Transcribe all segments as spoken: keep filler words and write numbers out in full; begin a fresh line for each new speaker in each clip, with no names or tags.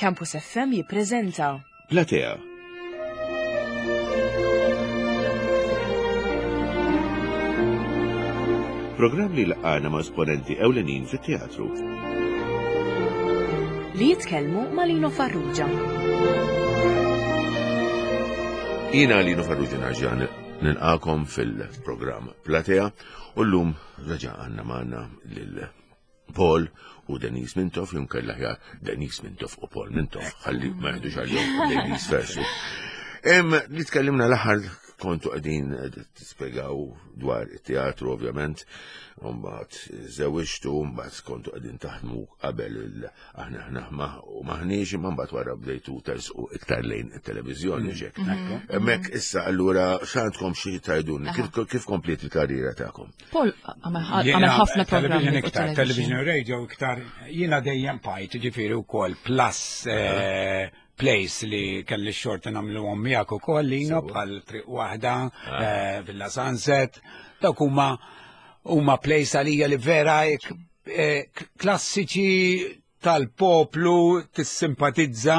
Campus F M jippreżenta
Platea. Programm li laqana ma' esponenti ewlenin fit-teatru.
Li jitkellmu ma' Lino Farrugia.
Jiena Lino Farrugia nerġa' nilqagħkom fil-programm Platea u llum reġa' għandna magħna lil Paul u Denise Mintoff, jew inkella aħjar Denise Mintoff u Paul Mintoff, ħalli ma jgħidux għalihom Ladies First. Em, li tkellimna l-aħħar kontu qegħdin tispjegaw dwar it-teatru ovvjament, u mbagħad żewġtu, mbagħad kontu qegħdin taħdmu qabel il aħna aħna u maħniex, imma mbagħad wara bdejtu tersqu iktar lejn it-televiżjoni ġek. Hemmhekk issa allura x'għandkom xi tgħidulna, kif kif kompliet il-karriera tagħkom?
Paul għamel ħafna programmi
television
fuq
iktar, television u radio iktar, jiena dejjem bqajt, ġifieri wkoll plus eh, plays li kelli xorta nagħmlu miegħek ukoll Lino bħal Triq Waħda, eh, Villa Sunset, dawk huma huma plays għalija li vera eh, klassiċi tal-poplu tissimpatizza.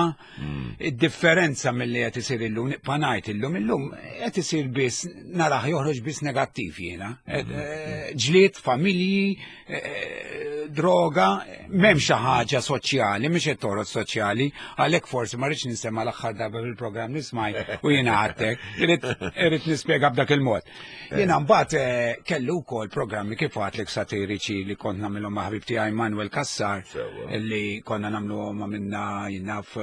Id-differenza mill-li qed isir illum, nibqa' ngħid illum, illum qed isir biss narah joħroġ biss negattiv jiena. Eh, Ġlied, familji, eh, droga, m'hemm xi ħaġa soċjali, mhix qed toħroġ soċjali, għalhekk forsi ma rridx ninsemma l-aħħar darba fil-programm li smajt u jiena għadtek, irrid irrid nispjega b'dak il-mod. Jiena mbagħad eh, kellu wkoll programmi kif għedtlek satiriċi li kont nagħmilhom ma' ħabib tiegħi Manuel Cassar
Sewwa.
li konna nagħmlu ma minna jinnaf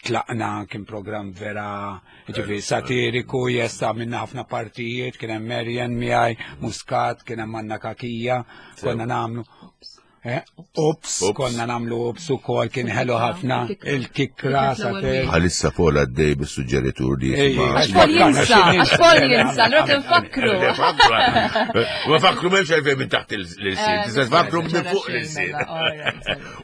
tlaqna, kien program vera ġifieri satiriku, jesta minna ħafna partijiet, kien hemm Marian miegħi, Muscat, kien hemm Anna Kakija, konna nagħmlu Eh, Ups,
Ups.
konna nagħmlu Ups ukoll, kien ħelu ħafna, il-kikra, satir.
Bħalissa Paul għaddej bis-suġġeritur li
Ej,
jisma'
Għax Paul jinsa, għax Paul jinsa, l nfakru.
Ma fakru m'hemmx għalfejn minn taħt l-ilsien, tista' tfakru minn fuq l-ilsien.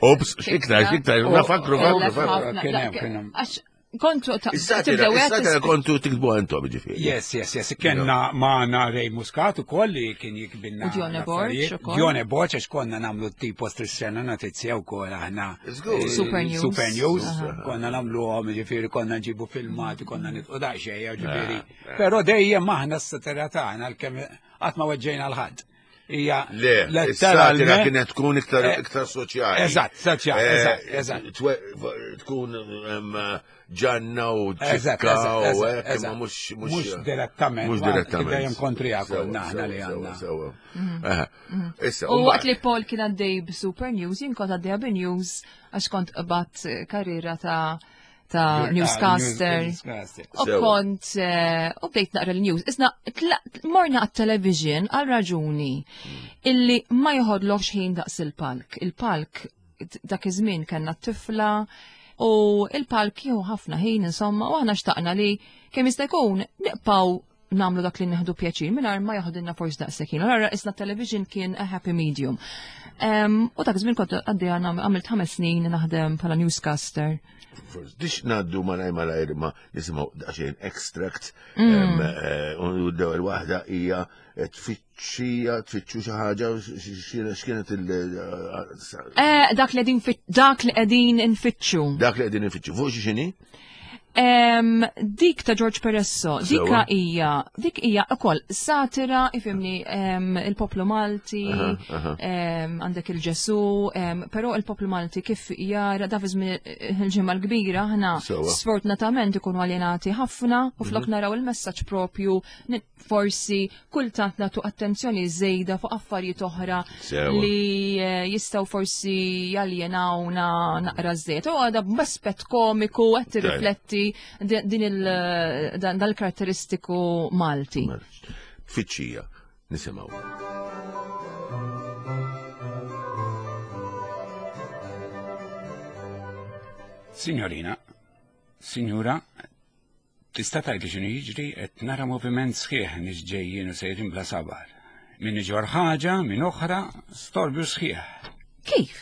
Ups, xiktar, xiktar, ma fakru, fakru, fakru.
Kien hemm, kien hemm.
Għax kontu ta'
Is-satira,
tibdew
is-satira kontu tiktbu għantom ġifieri.
Yes, yes, yes. Kenna maħna Ray Muscat u koll li kien jiktbilna.
U Dione Borg
l-affarijiet.
ukoll.
Dione Borg, għax konna nagħmlu tipo strissena notizja u koll aħna.
Żgur.
eh,
Super News.
Super News.
Aha.
Konna nagħmlu għom, ġifieri, konna nġibu filmati, konna nitqu daqxej, ġifieri. Pero dejjem aħna s-satira tagħna għalkemm qatt ma weġġejna 'l ħadd. Hija
Le, is-satira
letteralment-
kienet tkun iktar
Eh,
iktar soċjali.
Eżatt, soċjali,
Eh,
eżatt, eżatt.
twe- Tkun em, ġanna u
Eżatt,
ċikka
eżatt,
u
eżatt,
hekk, imma
eżatt.
mhux
Mhux direttament,
Mhux
ma
direttament.
dejjem kontrija
Sewa,
konna aħna
sewa,
li
sewa,
għandna.
sewa. Aha. Issa,
U waqt li Paul kien għaddej b'Super News, jien kont għaddejja b'News għax kont qbadt karriera ta' ta' newscaster.
Newscaster.
U
Sewa.
kont, eh, u bdejt naqra l-news. Isna, tla- morna għat-television għal raġuni illi ma joħodlokx ħin daqs il-palk. Il-palk dak iż-żmien kellna t-tifla u il-palk jieħu ħafna ħin insomma u aħna xtaqna li kemm jista' jkun nibqgħu nagħmlu dak li nieħdu pjaċir mingħajr ma jaħdilna forsi daqshekk ħin. Allura isna television kien a happy medium. Em, U dak iż-żmien kont għaddejja għamilt ħames snin naħdem bħala newscaster.
Forsi, Dix ngħaddu malajr malajr ma nisimgħu daqsxejn extract em, eh, u l-ewwel waħda hija tfittxija tfittxu xi ħaġa x'kienet il
Eh, dak li qegħdin fit- dak li qegħdin infittxu.
Dak li qegħdin infittxu. Fuq xi xini?
Em, dik ta' George Peresso, dika
Sewa.
hija, dik hija ukoll satira, ifhimni, em, il-poplu Malti,
Aha, aha.
em, għandek il-Ġesu, em, però il-poplu Malti kif jara da fi żmien il-ġimgħa l-kbira aħna
Sewa.
sfortunatament ikunu aljenati ħafna u flok
Mhm.
naraw il-messaġġ propju ni- forsi kultant nagħtu attenzjoni żejda fuq affarijiet oħra
Sewa.
li eh, jistgħu forsi jaljenawna naqra żejt. U għada b'aspett komiku qed tirrifletti di- din il dan dal-karatteristiku Malti.
Tfittxija, nisimgħu.
Signorina, signora, tista' tgħidli x'inhu jiġri? Qed nara moviment sħiħ, nies ġejjin u sejrin bla sabar. Min iġor ħaġa, min oħra, storbju sħiħ.
Kif?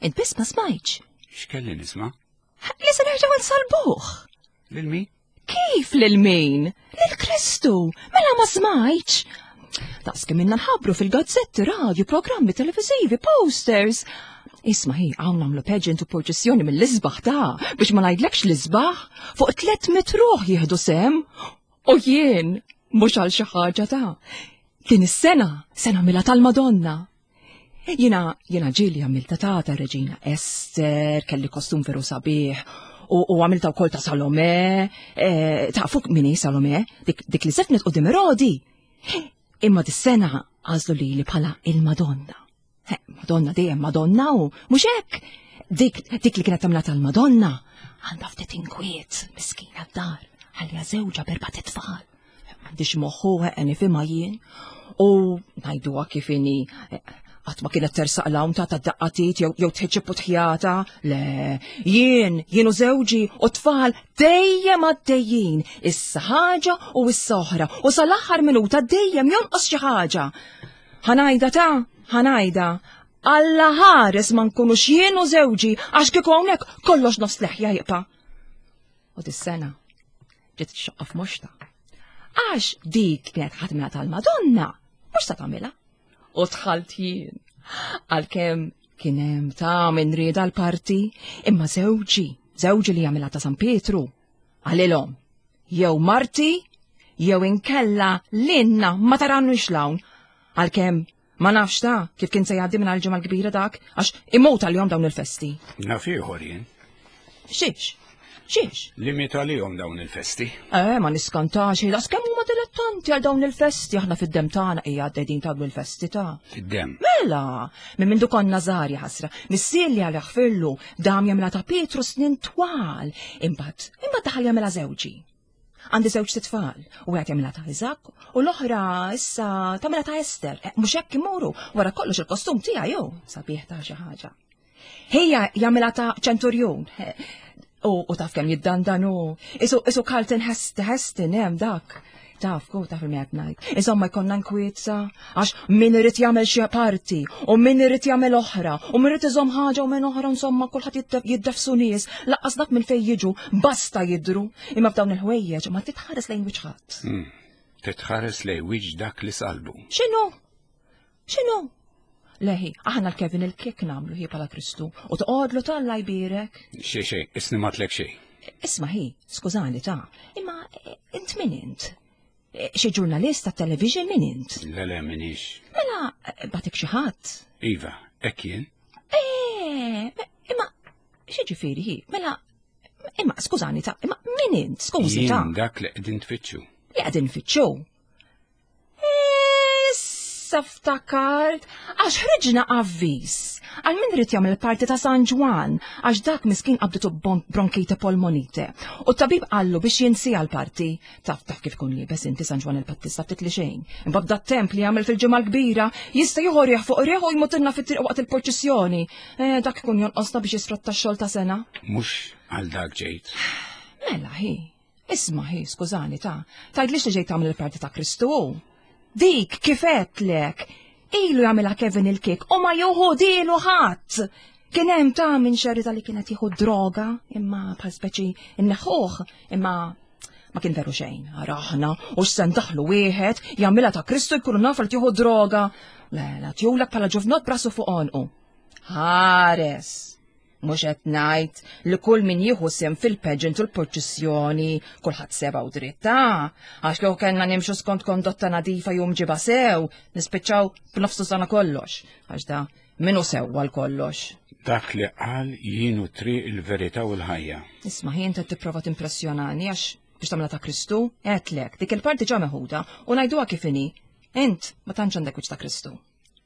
Int biss ma smajtx?
X'kelli nisma'?
Li se nerġgħu nsalbuh.
Lil min?
Kif lil min? Lil Kristu! Mela ma smajtx! Daqs kemm inna nħabbru fil-gazzetti, radio, programmi televizivi, posters. Isma' hi, hawn nagħmlu pageant u purċissjoni mill-isbaħ ta' biex ma ngħidlekx l-isbaħ, fuq tliet mitt ruħ jieħdu sehem. U jien mhux għal xi ħaġa ta' din is-sena se nagħmilha tal-Madonna. Jiena jiena ġieli għamilta ta' ta' Reġina Ester, kelli kostum veru sabiħ, u, u għamilta wkoll ta' Salome, eh, ta' fuq min hi Salome, dik, dik li żefnet quddiem Erodi. Imma dis-sena għażlu lili bħala il-Madonna. Eh, Madonna dejjem Madonna u mhux hekk. Dik, dik li kienet tagħmilha tal-Madonna għandha ftit inkwiet, miskina d-dar, ħalliha żewġha b'erbat itfal. M'għandix moħħu eh, nifhimha jien. U ngħiduha kif inhi eh, qatt ma kienet tersaq 'l hawn ta' ta' daqqatit jew jew tħiġġib u tħjata. Le, jien, jien u żewġi u tfal dejjem għaddejjin. Issa ħaġa u issa oħra. U sal-aħħar minuta dejjem jonqos xi ħaġa. Ħa ngħidha ta' ħa ngħidha. Alla ħares ma nkunux jien u żewġi għax kieku hawnhekk kollox nofs leħja jibqa'. U dis-sena ġiet xoqqa f'moxta. Għax dik kienet ħadmina tal-Madonna, mhux ta' tagħmilha. U dħalt jien. Għalkemm kien hemm ta' min rieda l-parti, imma żewġi, żewġi li jagħmilha ta' San Pietru, qalilhom, jew marti, jew inkella lilna ma taranux 'l hawn. Għalkemm ma nafx ta' kif kien se jgħaddi minn għal-ġimgħa l-kbira dak, għax imut għalihom dawn il-festi.
Naf ieħor jien.
Xiex? Xiex?
Li miet għalihom dawn il-festi.
Eh, ma niskantax, daqs kemm huma dilettanti għal dawn il-festi, aħna fid-dem tagħna hija għaddejjin ta' il-festi ta'
Fid-dem.
Mela, minn mindu konna żgħar ħasra, missieri Alla jaħfirlu, dam jagħmilha ta' Pietru snin twal, imbagħad, imbagħad daħal jagħmilha żewġi. Għandi żewġ tfal, u wieħed jagħmilha ta' Iżak, u l-oħra issa tagħmilha ta' Ester. Eh, mhux hekk imuru, wara kollox il-kostum tiegħi jew sabiħ ta' xi ħaġa. Hija jagħmilha ta' ċenturjun. Eh, U, u taf kemm jiddandanu. Isu, isu Charlton Heston hemm dak. Taf, ku taf il-miet ngħid. Insomma jkollna nkwietsa, għax min irid jagħmel xi parti, u min irid jagħmel oħra, u min irid iżomm ħaġa u min oħra, insomma kulħadd jiddef- jiddefsu nies, lanqas dak minn fejn jiġu, basta jidru. Imma f'dawn il-ħwejjeġ ma titħares lejn wiċċ ħadd.
Hmm. Titħares lejn wiċċ dak li salbu.
X'inhu? X'inhu? Leħi, aħna l-Kevin il-kek nagħmlu hi bħala Kristu u toqgħodlu t'Alla jbierek.
Xej, xej, isni matlek xej.
Isma' hi, skużani ta' imma eh, int min int? Eh, Xi ġurnalist ta' television min int?
Le, le, minix.
Mela, eh, bagħtek xi ħadd?
Iva, hekk jien.
Eh, imma xi ġifieri hi? Mela, imma skużani ta' imma min int? Skużi ta'
Jien dak li qegħdin tfittxu.
li qegħdin fittxu. Issa ftakart, għax ħriġna avviż għal min irid jagħmel parti ta' San Ġwan, għax dak miskin qabditu bon- bronkite polmonite. U t-tabib qallu biex jinsieha l-parti. Taf taf kif kun liebes inti San Ġwan il-Battista ftit li xejn. Imbagħad dat temp li jagħmel fil-ġimgħa l-kbira jista' jieħu riħ fuq riħ u jmutilna fit-triq waqt il-purċissjoni. Eh, dak ikun jonqosna biex jisfratta x-xogħol ta' sena.
Mhux għal dak ġejt.
Mela hi, isma' hi, skużani ta' tgħidlix li ġejt tagħmel il-parti ta' Kristu. Dik kif għedtlek, ilu jagħmilha Kevin il-kik u ma jieħu dilu ħadd. Kien hemm ta' minn xerrita li kienet jieħu droga, imma bħal speċi inneħħuh, imma ma kien veru xejn. Ara aħna u x'se ndaħlu wieħed jagħmilha ta' Kristu jkunu nafu li tieħu droga. Le, la tjulek bħala ġuvnot b'rasu fuq għonqu. Ħares. Mhux qed ngħid li kull min jieħu sehem fil-pageant u l-purċissjoni kulħadd seba u dritta. Għax kieku kellna nimxu skont kondotta nadifa jum ġiba sew, nispiċċaw b'nofsu sana kollox. Għax da minnu sew għal kollox.
Dak li qal jien hu triq il-verità u l-ħajja.
Isma' ħin ta' tipprova timpressjonani għax biex tagħmilha ta' Kristu, għedtlek, dik il-parti ġa meħuda u ngħiduha kif inhi. Int ma tantx għandek wiċċ ta' Kristu.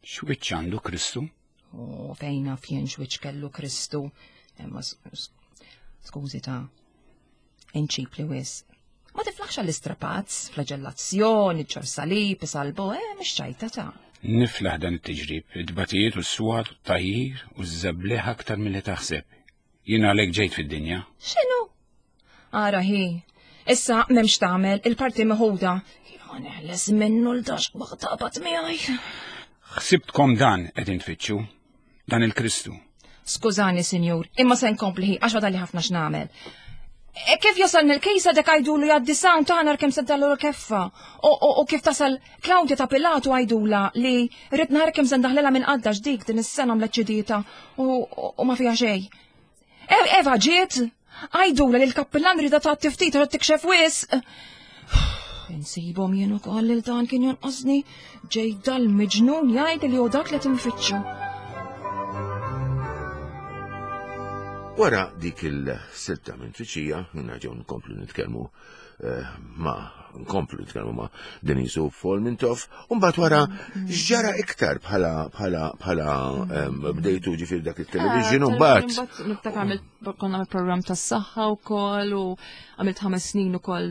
X'wiċċ għandu Kristu?
U fejn naf jien x'wiċċ kellu Kristu. Imma skużi ta' inċip li wisq. Ma tiflaħx għall-istrapazz, flagellazzjoni, ġorr salib, isalbu, eh, mhux ċajta ta'
Niflaħ dan it-tiġrib, id-batijiet u s-swat, u t-tajjir u z-żebliħ aktar mill-li taħseb. Jien għalhekk ġejt fid-dinja.
X'inhu? Ara hi, issa m'hemmx tagħmel il-parti meħuda. Ja neħles minnu l-dax waqt miegħi.
Ħsibtkom dan qegħdin tfittxu, dan il-Kristu.
Skużani, sinjur, imma se nkompli għax li ħafna x'nagħmel. E kif jasal mill-kejsa dek għajdulu jgħaddi sound ta' nar kemm se dallu l-keffa. U kif tasal Claudia ta' Pilatu għajdula li rrid nara kemm se ndaħlilha minn qadda dik din is-sena mleċċidieta u ma fiha xejn. Eva ġiet, għajdula li l-kappillan rida ta' tiftit rrid tikxef wisq. Insibhom jien ukoll lil dan kien jonqosni ġej dal-miġnun jgħid li hu dak li tinfittxu.
Wara dik il-silta minn Triċija, nerġgħu nkomplu nitkellmu ma nkomplu nitkellmu ma' Denise u Paul Mintoff, u mbagħad wara x'ġara iktar bħala bħala bħala bdejtu ġifier dak it-television u mbagħad.
Niftakar għamilt konna programm tas-saħħa wkoll u għamilt ħames snin ukoll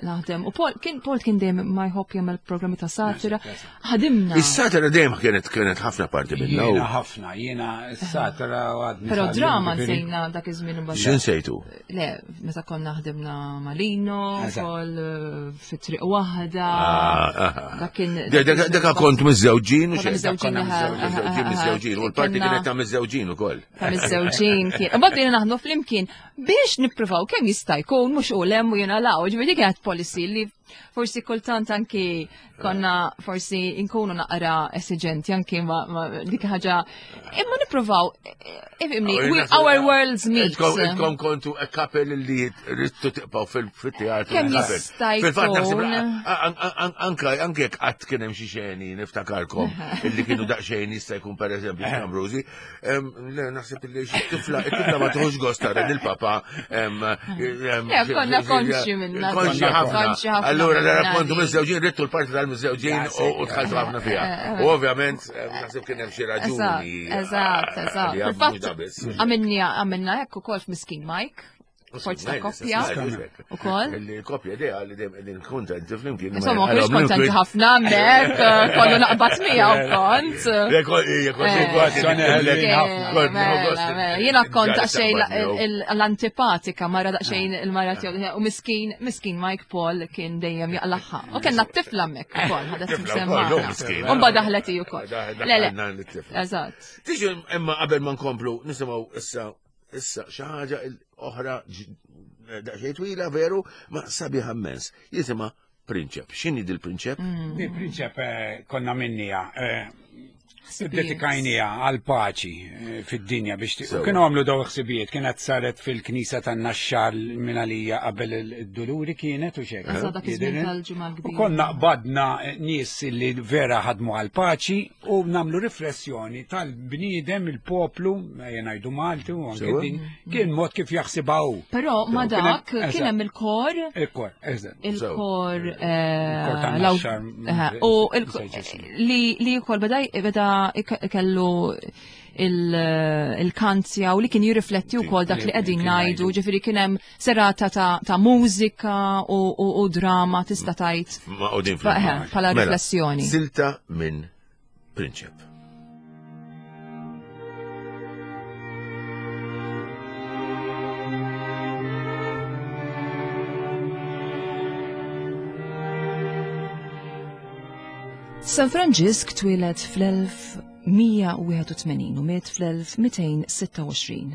naħdem. U Paul kien Paul kien dejjem ma jħobb jagħmel programmi ta' satira. Ħadimna.
Is-satira dejjem kienet kienet ħafna parti minnha.
Jiena ħafna, jiena s-satira għadni.
Però drama nsejna dak iż-żmien imbagħad.
X'insejtu?
Le, meta konna ħdimna Malino, ukoll fit-triq waħda. Dak kien.
Dak kont miżżewġin u xejn.
Miżżewġin,
miżżewġin, u l-parti kienet ta' miżżewġin ukoll.
Ta' miżżewġin kien. Imbagħad bdejna naħdmu flimkien biex nippruvaw kemm jista' jkun mhux u lem u jiena law, ġifieri kienet policy li forsi kultant anki konna forsi nkunu naqra esiġenti anki ma dik ħaġa imma nippruvaw ifhimni our worlds meet.
Intkom kontu a couple li ridtu tibqgħu fil-teatru.
Kemm jista'
Fil-fatt naħseb anke anke jekk qatt kien hemm xi xeni niftakarkom illi kienu daqsxejn jista' jkun pereżempju Ambrosi, naħseb illi xi tifla it-tifla ma tieħux gost tara lill-papa.
Konna konxi minna.
Konxi ħafna. Allura nara kontu miżżewġin ridtu l-parti tal-miżżewġin u dħaltu ħafna fiha. U ovvjament naħseb kien hemm xi raġuni.
Eżatt, eżatt. Fil-fatt għamilna hekk ukoll f'Miskin Mike. Forzi ta' koppja. Ukoll.
Il-koppja idea li dejjem qegħdin kuntenti flimkien.
Insomma, mhux kontenti ħafna hemmhekk, kollu naqbad miegħu kont. Jiena kont daqsxejn l-antipatika mara daqsxejn il-mara tiegħu u miskin, miskin Mike Paul kien dejjem jaqlaħħa. U kellna t-tifla hemmhekk ukoll, ħadet semma. U mbagħad daħlet hi ukoll. Le, le. Eżatt.
Tiġi imma qabel ma nkomplu nisimgħu issa issa xi ħaġa oħra daqsxejn twila veru ma sabiħa immens. Jisimha Prinċep. X'inhi dil-Prinċep?
Di Prinċep konna minnija. Dedikajnija għal-paċi fid-dinja biex kienu għamlu daw ħsibijiet, kienet saret fil-knisa tan-Naxxar minn għalija qabel id-Duluri kienet u xejn. U konna qbadna nies li vera ħadmu għal-paċi u nagħmlu riflessjoni tal-bniedem il-poplu, ejja ngħidu Malti u anke din, kien mod kif jaħsibha hu.
Però ma dak kien hemm il-kor.
Il-kor, eżatt.
Il-kor u li wkoll beda beda kellu il-kanzja u li kien jirrifletti wkoll dak li qegħdin ngħidu, ġifieri kien hemm serata ta' mużika u drama tista' tgħid bħala riflessjoni.
Silta minn Prinċep.
San Franġisk twieled fl-elf mija u wieħed u tmenin u miet fl-elf mitejn sitta u għoxrin.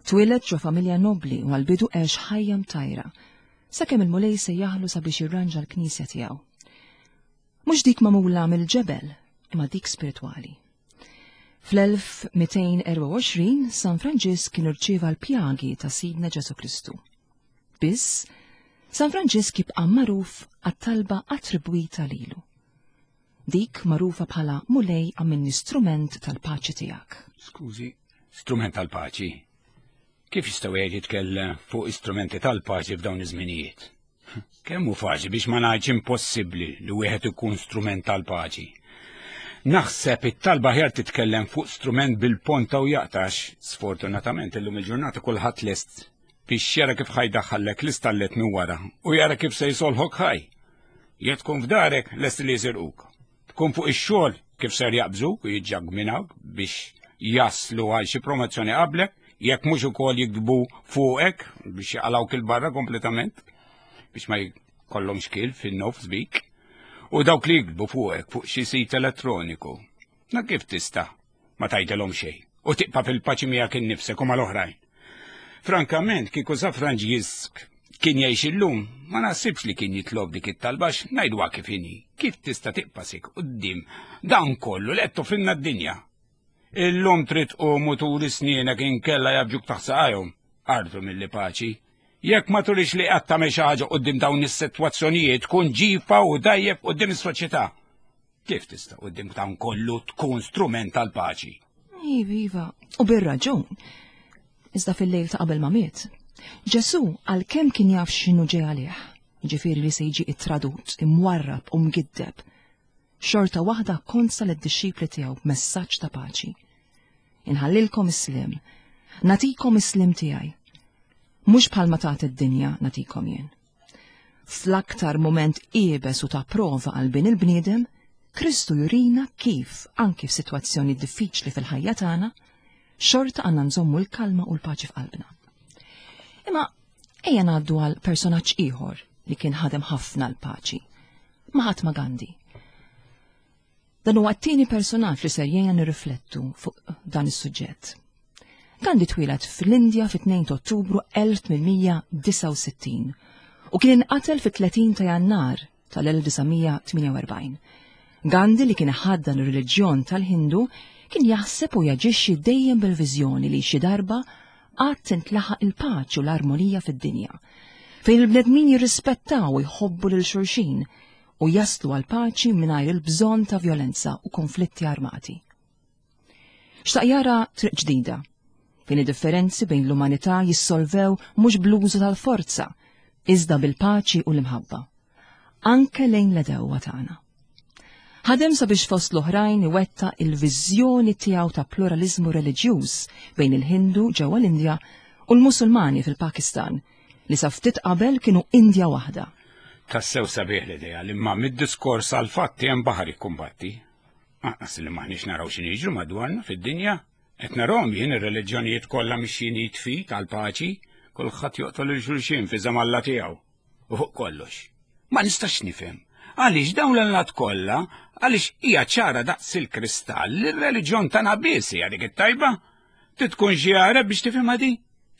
Twieled ġo familja nobli u għal-bidu għex ħajja mtajra, sakemm il-Mulej sejjaħlu sabiex jirranġa l-knisja tiegħu. Mhux dik magħmula mill-ġebel, imma dik spiritwali. Fl-elf mitejn erba' u għoxrin San Franġisk kien irċieva l-pjagi ta' Sidna Ġesu Kristu. Biss, San Franġisk jibqa' magħruf għat-talba attribwita lilu. Dik magħrufa bħala Mulej għamilni strument tal-paċi tiegħek.
Skużi, strument tal-paċi? Kif jista' wieħed jitkellem fuq istrumenti tal-paċi f'dawn iż-żminijiet? Kemm hu faċli biex ma ngħidx impossibbli li wieħed ikun strument tal-paċi. Naħseb it-talba ħjar titkellem fuq strument bil-ponta u jaqtax, sfortunatament illum il-ġurnata kulħadd lest biex jara kif ħajdaħħallek l-istallet minn wara u jara kif se jsolħok ħaj. Jekk tkun f'darek lest li jisirquk. Tkun fuq ix-xogħol kif ser jaqbżuk u jiġġagminawk biex jaslu għal xi promozzjoni qablek, jekk mhux ukoll jikdbu fuqek biex jaqalgħuk il-barra kompletament biex ma jkollhomx kil fin-nofs bik. U dawk li jikdbu fuqek fuq xi sit elettroniku. Na kif tista' ma tgħidilhom xejn u tibqa' fil-paċi miegħek innifsek u mal-oħrajn. Frankament, kieku San Franġisk kien jgħix illum, ma naħsibx li kien jitlob dik it-talba ngħiduha kif inhi. Kif tista' tibqa' sieket quddiem dan kollu li qed toffrilna d-dinja? Illum trid tqum u turi snienek inkella jgħaffġuk taħt saqajhom. Ardu mill paċi. Jekk ma turix li qatt tagħmel xi ħaġa quddiem dawn is-sitwazzjonijiet tkun ġifa u dajjef quddiem is-soċjetà. Kif tista' quddiem dawn kollu tkun strument tal-paċi?
Iva, iva, u bir-raġun. Iżda fil-lejl ta' qabel ma miet. Ġesu għalkemm kien jaf x'inhu ġej għalih, ġifieri li se jiġi ittradut, imwarrab u mgiddeb. Xorta waħda konsa lid-dixxipli tiegħu b'messaġġ ta' paċi. Inħallilkom is-sliem, nagħtikom is-sliem tiegħi. Mhux bħalma tagħti d-dinja nagħtikom jien. Fl-aktar moment iebes u ta' prova għal bin il-bniedem, Kristu jurina kif, anki f'sitwazzjoni diffiċli fil-ħajja tagħna, xorta għandna nżommu l-kalma u l-paċi f'qalbna. Imma ejja ngħaddu għal personaġġ ieħor li kien ħadem ħafna l-paċi. Mahatma Gandhi. Dan huwa t-tieni personaġġ li ser jgħinna nirriflettu fuq dan is-suġġett. Gandhi twieled fl-Indja fit-tnejn ta' Ottubru elf tmien mija disgħa u sittin u kien inqatel fit-tletin ta' Jannar tal-elf disa' mija tmienja u erbgħin. Gandhi, li kien ħaddan ir-reliġjon tal-Hindu, kien jaħseb u jaġixxi dejjem bil-viżjoni li xi darba għad tintlaħaq il-paċi u l-armonija fid-dinja, fejn il-bnedmin jirrispettaw u jħobbu lil xulxin u jaslu għal paċi mingħajr il-bżonn ta' violenza u konflitti armati. Xtaq jara triq ġdida, fejn id-differenzi bejn l-umanità jissolvew mhux bl-użu tal-forza, iżda bil-paċi u l-imħabba, anke lejn l-għedewwa tagħna. Ħadem sabiex fost l-oħrajn iwettaq il-viżjoni tiegħu ta' pluralizmu reliġjuż bejn il-Hindu ġewwa l-Indja u l-Musulmani fil-Pakistan, li sa ftit qabel kienu Indja waħda.
Tassew sabiħ l-idea li ma mid-diskors għal fatti hemm baħar jikkumbatti. Anqas li maħniex naraw x'inhu jiġru madwarna fid-dinja. Qed narahom jien ir-reliġjonijiet kollha mixjin jitfit għal paċi, kulħadd joqtol lil xulxin fi Alla tiegħu. U fuq kollox. Ma nistax nifhem. Għaliex dawn l-allat kollha, għaliex hija ċara daqs il-kristall li r-reliġjon tagħna biss hija dik it-tajba? Trid tkun xi Għarab biex tifhimha di?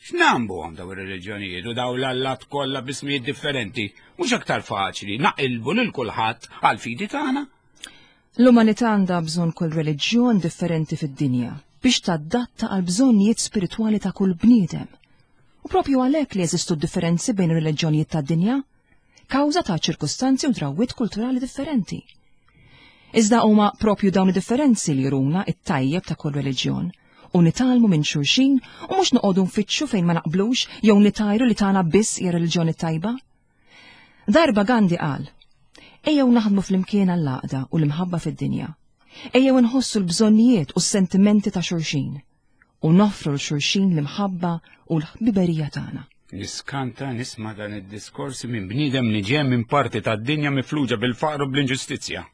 X'nambu għom daw ir-reliġjonijiet u daw l-allat kollha b'ismijiet differenti? Mhux aktar faċli naqilbu lil kulħadd għal fidi tagħna?
L-umanità għandha bżonn kull reliġjon differenti fid-dinja biex tadatta għal bżonnijiet spiritwali ta' kull bniedem. U propju għalhekk li jeżistu differenzi bejn ir-reliġjonijiet tad-dinja, kawża ta' ċirkustanzi u drawwiet kulturali differenti. Iżda huma propju dawn id-differenzi li juruna it-tajjeb ta' kull reliġjon u nitgħallmu minn xulxin u mhux noqogħdu nfittxu fejn ma naqblux jew nitajru li tagħna biss hija reliġjoni tajba. Darba Gandhi qal: "Ejjew naħdmu flimkien għall-għaqda u l-imħabba fid-dinja. Ejjew nħossu l-bżonnijiet u s-sentimenti ta' xulxin u noffru lil xulxin l-imħabba u l-ħbiberija tagħna."
Niskanta nisma' dan id-diskors minn bniedem li ġej minn parti tad-dinja mifluġa bil-faqru, bl-inġustizzja.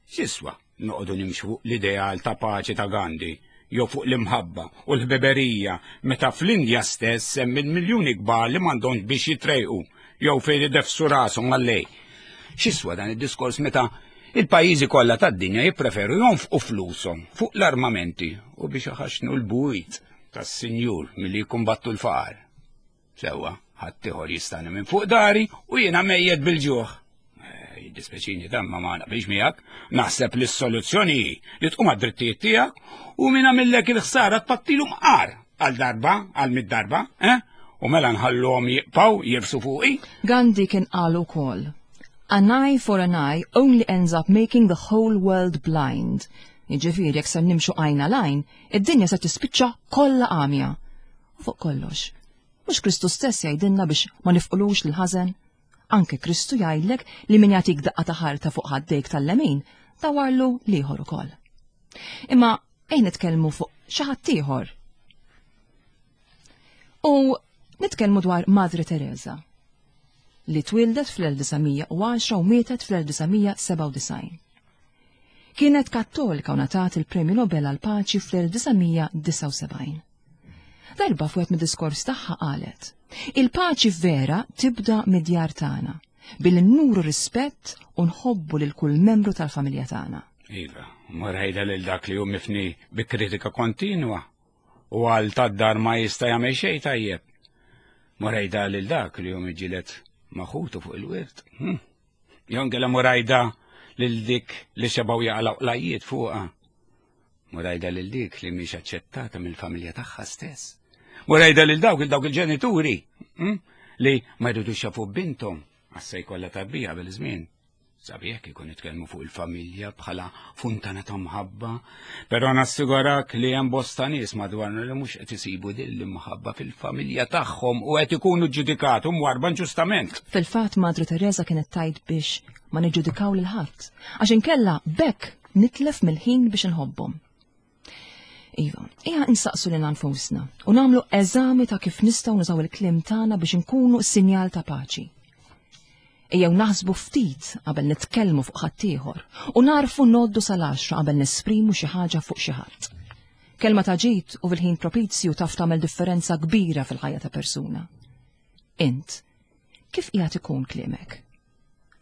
X'jiswa noqogħdu nimxu fuq l-ideal ta' paċi ta' Gandhi jew fuq l-imħabba u l-ħbiberija meta fl-Indja stess hemm il-miljuni kbar li m'għandhomx biex jitrejqu jew fejn ideffsu rashom għallej? X'jiswa dan id-diskors meta il-pajjiżi kollha tad-dinja jippreferu jonfqu flushom fuq l-armamenti u biex iħaxnu l-bwiet tas-sinjur milli jikkumbattu l-faqar? Sewwa, ħaddieħor jistagħni minn fuq dari u jiena mejjet bil-ġuħ. Eh, Jiddispeċini dan ma ma naqbilx miegħek, naħseb li s-soluzzjoni hi li tqum għad-drittijiet tiegħek u min għamillek il-ħsara tpattilu mqar għal darba, għal mitt darba, eh? U mela nħalluhom jibqgħu jirfsu fuqi.
Gandhi kien qal ukoll: "An eye for an eye only ends up making the whole world blind." Jiġifieri jekk ser nimxu għajn għal għajn, id-dinja se tispiċċa kollha għamja. U fuq kollox, mhux Kristu stess jgħidilna biex ma nifqulux l-ħażen? Anke Kristu jgħidlek li min jagħtik daqqa ta' ħarta fuq ħaddejk tal-lemin, dawarlu l-ieħor ukoll. Imma ejja nitkellmu fuq xi ħadd ieħor. U nitkellmu dwar Madre Teresa li twildet fl-elf disa' mija u għaxra u mietet fl-elf disa' mija sebgħa u disgħin. Kienet kattolika u ngħatat il-Premju Nobel għal paċi fl-elf disa' mija disgħa u sebgħin. Darba fuq mid-diskors tagħha qalet: "Il-paċi vera tibda mid-djar tagħna, billi nuru rispett u nħobbu lil kull membru tal-familja tagħna."
Iva, mur għidha lil dak li hu mifni bi kritika kontinwa. U għal tad-dar ma jista' jagħmel xejn tajjeb. Mur għidha lil dak li jum iġilet maħutu fuq il-wirt. Hmm. Jew inkella mur għidha lil dik li xebaw jaqlaw qlajjiet fuqha. Mur għidha lil dik li mhix aċċettata mill-familja tagħha stess. Mur għidha lil dawk il dawk il-ġenituri hmm, li ma jridux jafu binthom għax se jkollha tarbija bil-żmien. Sabiħ kieku nitkellmu fuq il-familja bħala funtana ta' mħabba, però nassigurak li hemm bosta nies madwarna li mhux qed isibu din l-imħabba fil-familja tagħhom u qed ikunu ġudikati u mwarrba inġustament.
Fil-fatt Madre Teresa kienet tgħid biex ma niġġudikaw lil ħadd, għax inkella b'hekk nitlef mill-ħin biex inħobbhom. Iva, ejja insaqsu lil nfusna u nagħmlu eżami ta' kif nistgħu nużaw il-kliem tagħna biex inkunu sinjal ta' paċi. Ejjew naħsbu ftit qabel nitkellmu fuq ħaddieħor u narfu ngħoddu sal-għaxra qabel nesprimu xi ħaġa fuq xi ħadd. Kelma ta' ġid u fil-ħin propizju taf tagħmel differenza kbira fil-ħajja ta' persuna. Int, kif qiegħed ikun kliemek?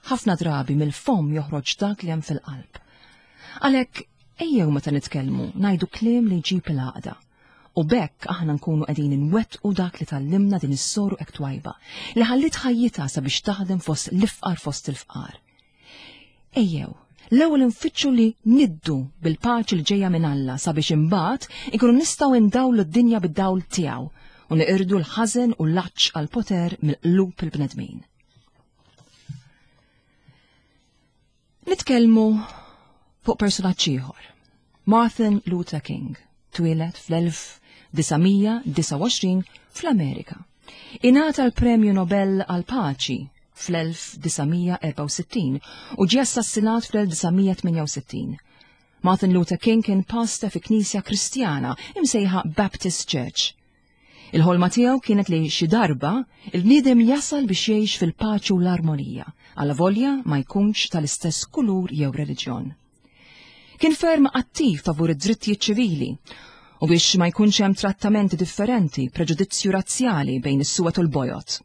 Ħafna drabi mill-fom joħroġ dak li hemm fil-qalb. Għalhekk ejjew meta nitkellmu ngħidu kliem li jġib il-għaqda. U b'hekk aħna nkunu qegħdin inwettqu dak li tgħallimna din is-soru hekk twajba li ħallit ħajjitha sabiex taħdem fost l-ifqar fost il-fqar. Ejjew, l-ewwel nfittxu li niddu bil-paċi li ġejja minn Alla sabiex imbagħad inkunu nistgħu ndawlu d-dinja bid-dawl tiegħu u neqirdu l-ħażen u l-għatx għall-poter mill-qlub il-bnedmin. Nitkellmu fuq personaġġ ieħor, Martin Luther King, twieled fl-elf disa' mija disgħa u għoxrin fl-Amerika. Ingħata l-Premju Nobel għall-Paċi fl-elf disa' mija erbgħa u sittin u ġie assassinat fl-elf disa' mija tmienja u sittin. Martin Luther King kien pastor fi knisja Kristjana imsejħa Baptist Church. Il-ħolma tiegħu kienet li xi darba il-bniedem jasal biex jgħix fil-paċi u l-armonija, alavolja ma jkunx tal-istess kulur jew reliġjon. Kien ferm attiv favur id-drittijiet ċivili u biex ma jkunx hemm trattamenti differenti, preġudizzju razzjali bejn is-suwed u l-bojod.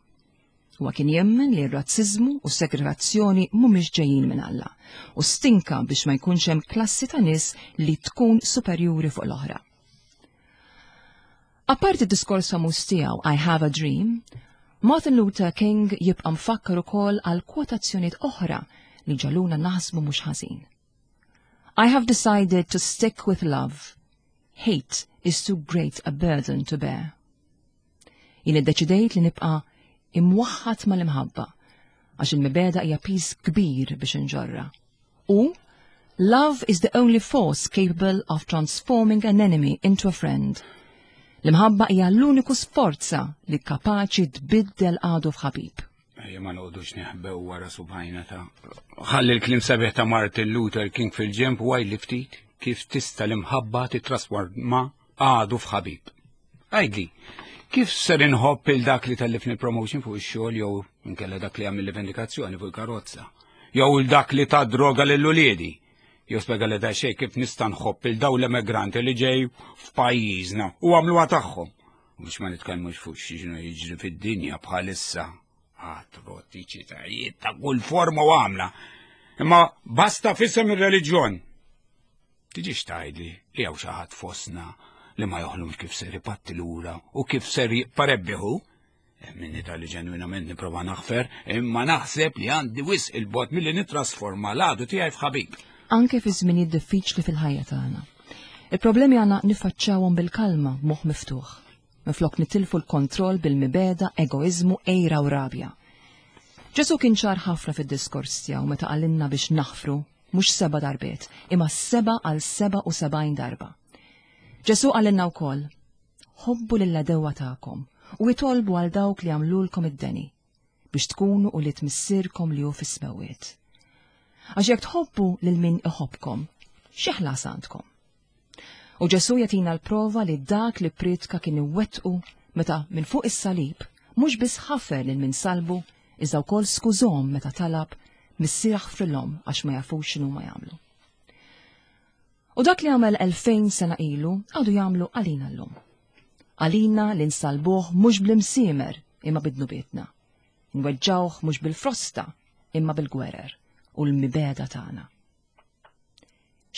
Huwa kien jemmen li r-razziżmu u s-segregazzjoni mhumiex ġejjin minn Alla u stinka biex ma jkunx hemm klassi ta' nies li tkun superjuri fuq l-oħra. Apparti d-diskors famuż tiegħu I Have a Dream, Martin Luther King jibqa' mfakkar ukoll għal kwotazzjonijiet oħra li ġaluna naħsbu mhux ħażin. I have decided to stick with love. Hate is too great a burden to bear. Jien iddeċidejt li nibqa' imwaħħad mal-imħabba, għax il-mibegħda hija piż kbir biex inġorra. U love is the only force capable of transforming an enemy into a friend. L-imħabba hija l-uniku sforza li kapaċi tbiddel għadu f'ħabib.
Ejja ma noqogħdux neħbew wara subgħajna ta' ħalli l-kliem sabiħ ta' Martin Luther King fil-ġenb u għidli ftit kif tista' l-imħabba titrasforma għadu f'ħabib. Għidli, kif ser inħobb il dak li tellifni promotion fuq ix-xogħol jew inkella dak li għamilli vendikazzjoni fuq il-karozza, jew il dak li ta droga lil uliedi, jew spjega li da xejn kif nista' nħobb il daw l-emigranti li ġej f'pajjiżna u għamluha tagħhom. U biex ma nitkellmux fuq x'inhu jiġri fid-dinja bħalissa. Atroċitajiet ta' kull forma u għamla. Imma basta f'isem ir-reliġjon. Tiġix tgħidli li hawn xi ħadd fostna li ma joħlomx kif ser ipatti lura u kif ser jipparebbiħu. Minni tal-li ġenwinament nipprova naħfer, imma naħseb li għandi wisq il-bot milli nittrasforma l-għadu tiegħi f'ħabib.
Anke fi żminijiet diffiċli fil-ħajja tagħna. Il-problemi għandna niffaċċjawhom bil-kalma b'moħħ miftuħ. Minflok nitilfu l-kontroll bil-mibegħda, egoizmu, għira u rabja. Ġesu kien ċar ħafna fid-diskors tiegħu meta qalilna biex naħfru mhux seba' darbiet, imma seba' għal seba' u sebgħin darba. Ġesu qalilna wkoll, ħobbu lill-għedewwa tagħkom u itolbu għal dawk li għamlulkom id-deni biex tkunu u li tmissirkom li hu fis-smewwiet. Għax jekk tħobbu lil min iħobbkom, xi ħlas għandkom? U Ġesu jagħtina l-prova li dak li pritka kien iwettqu meta minn fuq is-salib mhux biss ħafer lil min salbu, iżda wkoll skużhom meta talab Missier aħfrilhom għax ma jafux x'inhu ma jagħmlu. U dak li għamel elfejn sena ilu għadu jagħmlu għalina llum. Għalina li nsalbuh mhux bl-imsiemer imma bidnubietna. Nweġġawh mhux bil-frosta imma bil-gwerer u l-mibegħda tagħna.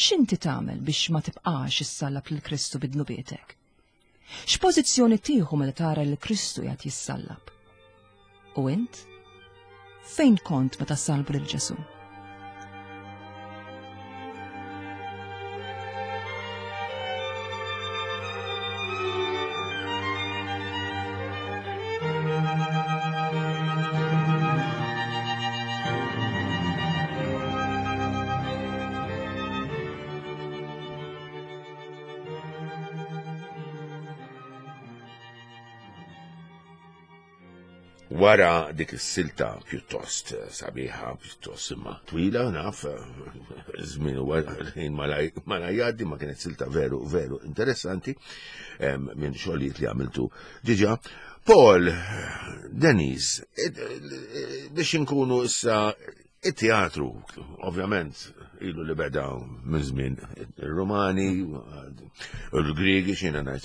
X'inti tagħmel biex ma tibqax issallab lil Kristu bidnubietek? X'pożizzjoni tieħu meta tara lil Kristu jgħid jissallab? U int? Fejn kont meta salbu lil Ġesu?
Wara dik is-silta pjuttost sabiħa, pjuttost imma twila, naf, żmien huwa ħin malaj jgħaddi, ma kienet silta veru, veru interessanti minn xogħlijiet li għamiltu diġà. Paul, Denise, biex inkunu issa it-teatru, ovvjament, ilu li beda minn żmien ir-Rumani, il-Griegi, xina ngħid.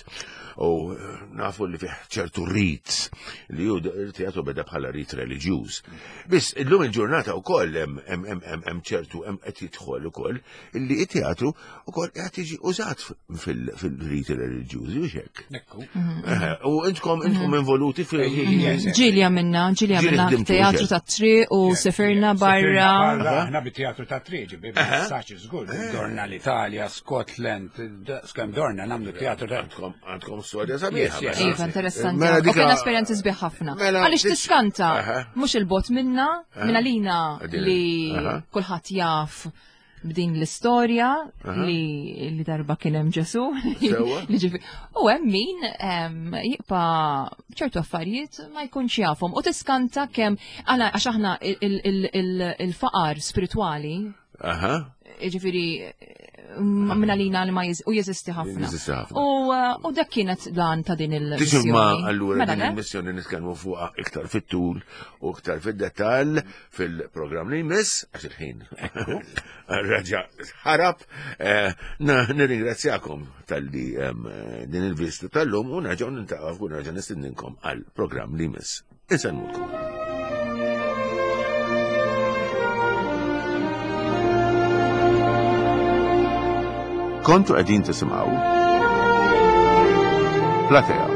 U nafu li fih ċertu rit, li ju il-teatru beda bħala rit reliġjuż. Biss illum il-ġurnata wkoll hemm ċertu hemm qed jidħol ukoll illi it-teatru ukoll qed jiġi użat fil-riti reliġjużi biex hekk. U intkom intkom involuti fil-
Ġieli għamilna, ġieli għamilna teatru tat-triq u sefirna barra.
Aħna bit-teatru tat-triq, ġibi, saċi żgur, dorna l-Italja, Scotland, skemm dorna nagħmlu teatru ta'
Għandkom storja sabiħa.
Iva, interessanti. U kien esperjenzi sbieħ ħafna. Għaliex tiskanta, mhux il-bot minna, minna lina li kulħadd jaf b'din l-istorja li li darba kien hemm Ġesu. U hemm min jibqa' ċertu affarijiet ma jkunx jafhom. U tiskanta kemm għax aħna il-faqar spiritwali. Ġifieri minna lina li ma u jeżisti ħafna. U dak kienet dan ta' din il-missjoni.
Ma allura din il-missjoni nitkellmu fuqha iktar fit-tul u iktar fid-dettall fil-programm li jmiss, għax il-ħin raġa ħarab. Nirringrazzjakom tal-li din il-vista tal-lum u nerġgħu nintaqgħu u nerġa' nistedninkom għall-programm li jmiss. Insellmulkom.
Kontu qegħdin tisimgħu Platea.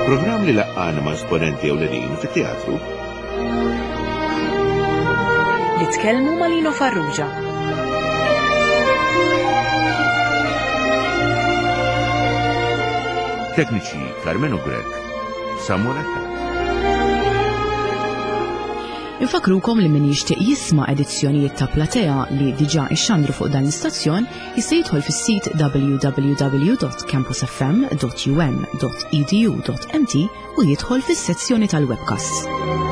Programm li laqqana ma' esponenti ewlenin fit-teatru.
Li tkellmu ma' Lino Farrugia.
Tekniċi Carmenu Grech, Samuel Attard.
Infakrukom li min jixtieq jisma' edizzjonijiet ta' Platea li diġà ixxandru fuq dan l-istazzjon jista' jidħol fis-sit w w w dot campus f m dot u m dot e d u dot m t u jidħol fis-sezzjoni tal-webcasts.